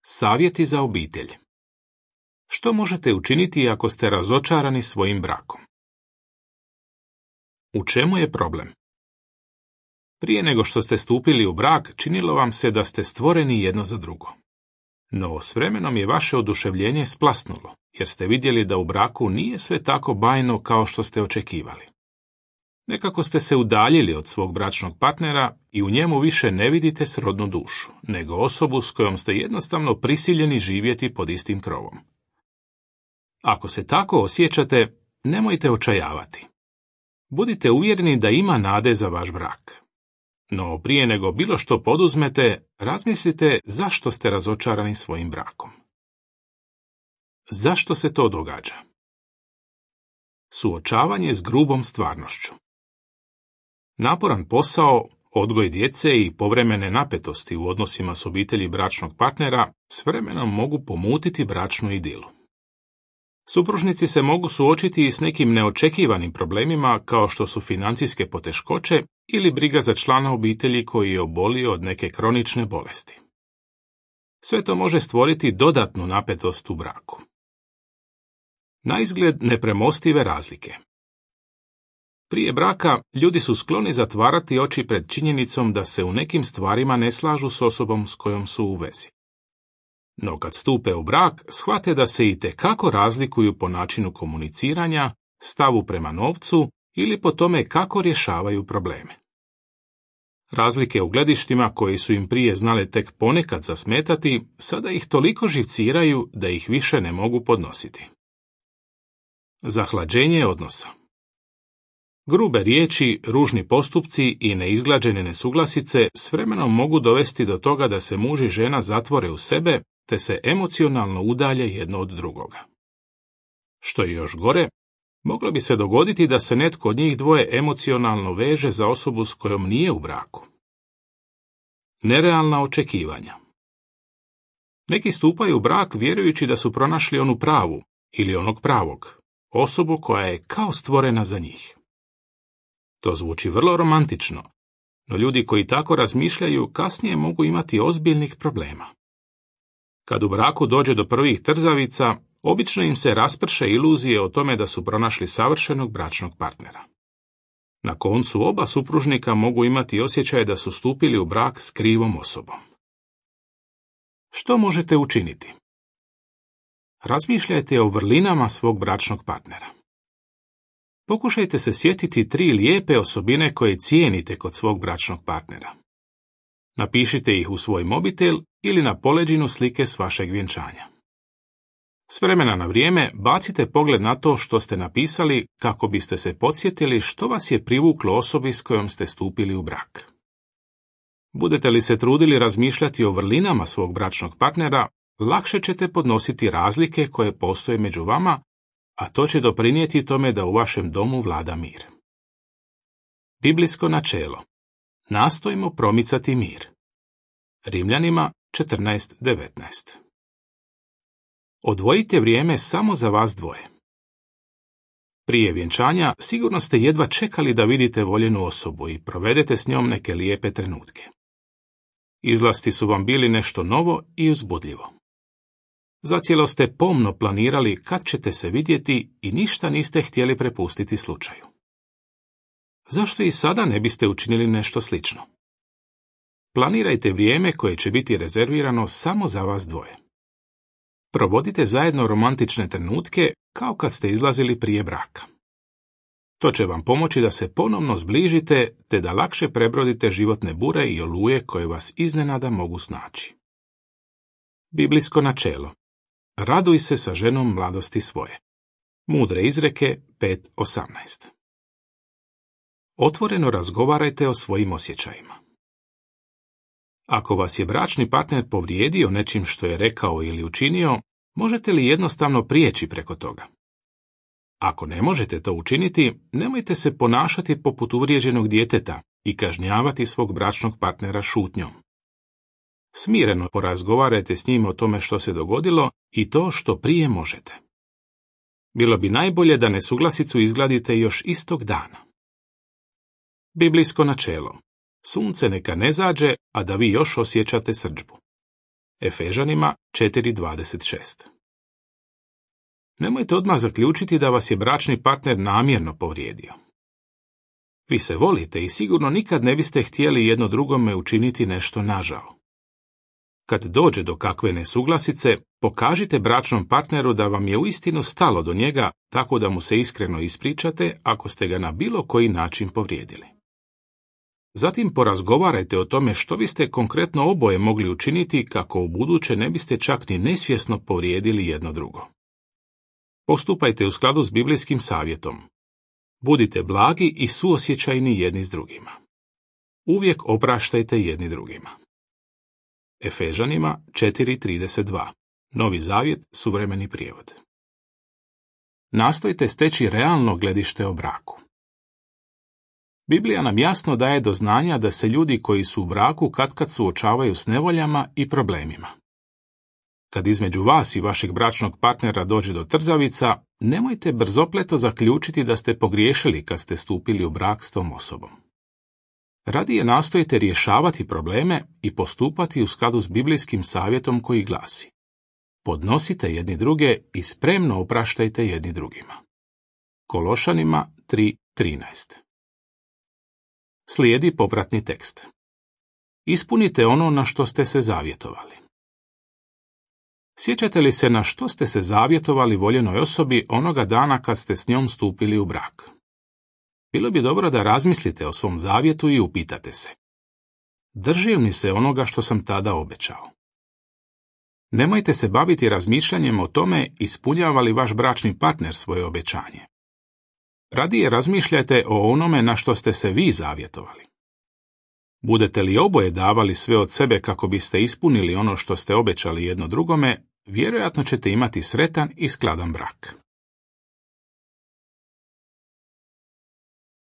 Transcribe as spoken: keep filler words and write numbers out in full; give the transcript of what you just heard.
Savjeti za obitelj. Što možete učiniti ako ste razočarani svojim brakom? U čemu je problem? Prije nego što ste stupili u brak, činilo vam se da ste stvoreni jedno za drugo. No s vremenom je vaše oduševljenje splasnulo, jer ste vidjeli da u braku nije sve tako bajno kao što ste očekivali. Nekako ste se udaljili od svog bračnog partnera i u njemu više ne vidite srodnu dušu, nego osobu s kojom ste jednostavno prisiljeni živjeti pod istim krovom. Ako se tako osjećate, nemojte očajavati. Budite uvjereni da ima nade za vaš brak. No prije nego bilo što poduzmete, razmislite zašto ste razočarani svojim brakom. Zašto se to događa? Suočavanje s grubom stvarnošću. Naporan posao, odgoj djece i povremene napetosti u odnosima s obitelji bračnog partnera s vremenom mogu pomutiti bračnu idilu. Supružnici se mogu suočiti i s nekim neočekivanim problemima kao što su financijske poteškoće ili briga za člana obitelji koji je obolio od neke kronične bolesti. Sve to može stvoriti dodatnu napetost u braku. Naizgled nepremostive razlike. Prije braka ljudi su skloni zatvarati oči pred činjenicom da se u nekim stvarima ne slažu s osobom s kojom su u vezi. No kad stupe u brak, shvate da se itekako razlikuju po načinu komuniciranja, stavu prema novcu ili po tome kako rješavaju probleme. Razlike u gledištima koji su im prije znale tek ponekad zasmetati, sada ih toliko živciraju da ih više ne mogu podnositi. Zahlađenje odnosa. Grube riječi, ružni postupci i neizglađene nesuglasice s vremenom mogu dovesti do toga da se muž i žena zatvore u sebe te se emocionalno udalje jedno od drugoga. Što je još gore, moglo bi se dogoditi da se netko od njih dvoje emocionalno veže za osobu s kojom nije u braku. Nerealna očekivanja. Neki stupaju u brak vjerujući da su pronašli onu pravu ili onog pravog, osobu koja je kao stvorena za njih. To zvuči vrlo romantično, no ljudi koji tako razmišljaju kasnije mogu imati ozbiljnih problema. Kad u braku dođe do prvih trzavica, obično im se rasprše iluzije o tome da su pronašli savršenog bračnog partnera. Na koncu oba supružnika mogu imati osjećaj da su stupili u brak s krivom osobom. Što možete učiniti? Razmišljajte o vrlinama svog bračnog partnera. Pokušajte se sjetiti tri lijepe osobine koje cijenite kod svog bračnog partnera. Napišite ih u svoj mobitel ili na poleđinu slike s vašeg vjenčanja. S vremena na vrijeme bacite pogled na to što ste napisali kako biste se podsjetili što vas je privuklo osobi s kojom ste stupili u brak. Budete li se trudili razmišljati o vrlinama svog bračnog partnera, lakše ćete podnositi razlike koje postoje među vama, a to će doprinijeti tome da u vašem domu vlada mir. Biblijsko načelo. Nastojimo promicati mir. Rimljanima četrnaest devetnaest. Odvojite vrijeme samo za vas dvoje. Prije vjenčanja sigurno ste jedva čekali da vidite voljenu osobu i provedete s njom neke lijepe trenutke. Izlasti su vam bili nešto novo i uzbudljivo. Zacijelo ste pomno planirali kad ćete se vidjeti i ništa niste htjeli prepustiti slučaju. Zašto i sada ne biste učinili nešto slično? Planirajte vrijeme koje će biti rezervirano samo za vas dvoje. Provodite zajedno romantične trenutke kao kad ste izlazili prije braka. To će vam pomoći da se ponovno zbližite te da lakše prebrodite životne bure i oluje koje vas iznenada mogu snaći. Biblijsko načelo. Raduj se sa ženom mladosti svoje. Mudre izreke pet osamnaest. Otvoreno razgovarajte o svojim osjećajima. Ako vas je bračni partner povrijedio nečim što je rekao ili učinio, možete li jednostavno prijeći preko toga? Ako ne možete to učiniti, nemojte se ponašati poput uvrijeđenog djeteta i kažnjavati svog bračnog partnera šutnjom. Smireno porazgovarajte s njim o tome što se dogodilo i to što prije možete. Bilo bi najbolje da nesuglasicu izgladite još istog dana. Biblijsko načelo. Sunce neka ne zađe, a da vi još osjećate srdžbu. Efežanima četiri dvadeset šest. Nemojte odmah zaključiti da vas je bračni partner namjerno povrijedio. Vi se volite i sigurno nikad ne biste htjeli jedno drugome učiniti nešto nažao. Kad dođe do kakve nesuglasice, pokažite bračnom partneru da vam je uistinu stalo do njega, tako da mu se iskreno ispričate ako ste ga na bilo koji način povrijedili. Zatim porazgovarajte o tome što biste konkretno oboje mogli učiniti kako u buduće ne biste čak ni nesvjesno povrijedili jedno drugo. Postupajte u skladu s biblijskim savjetom. Budite blagi i suosjećajni jedni s drugima. Uvijek opraštajte jedni drugima. Efežanima četiri trideset dva. Novi zavjet, suvremeni prijevod. Nastojte steći realno gledište o braku. Biblija nam jasno daje do znanja da se ljudi koji su u braku katkad suočavaju s nevoljama i problemima. Kad između vas i vašeg bračnog partnera dođe do trzavica, nemojte brzopleto zaključiti da ste pogriješili kad ste stupili u brak s tom osobom. Radije nastojite rješavati probleme i postupati u skladu s biblijskim savjetom koji glasi: podnosite jedni druge i spremno opraštajte jedni drugima. Kološanima tri trinaest. Slijedi popratni tekst. Ispunite ono na što ste se zavjetovali. Sjećate li se na što ste se zavjetovali voljenoj osobi onoga dana kad ste s njom stupili u brak? Bilo bi dobro da razmislite o svom zavjetu i upitate se: držim li se onoga što sam tada obećao? Nemojte se baviti razmišljanjem o tome ispunjava li vaš bračni partner svoje obećanje. Radije razmišljajte o onome na što ste se vi zavjetovali. Budete li oboje davali sve od sebe kako biste ispunili ono što ste obećali jedno drugome, vjerojatno ćete imati sretan i skladan brak.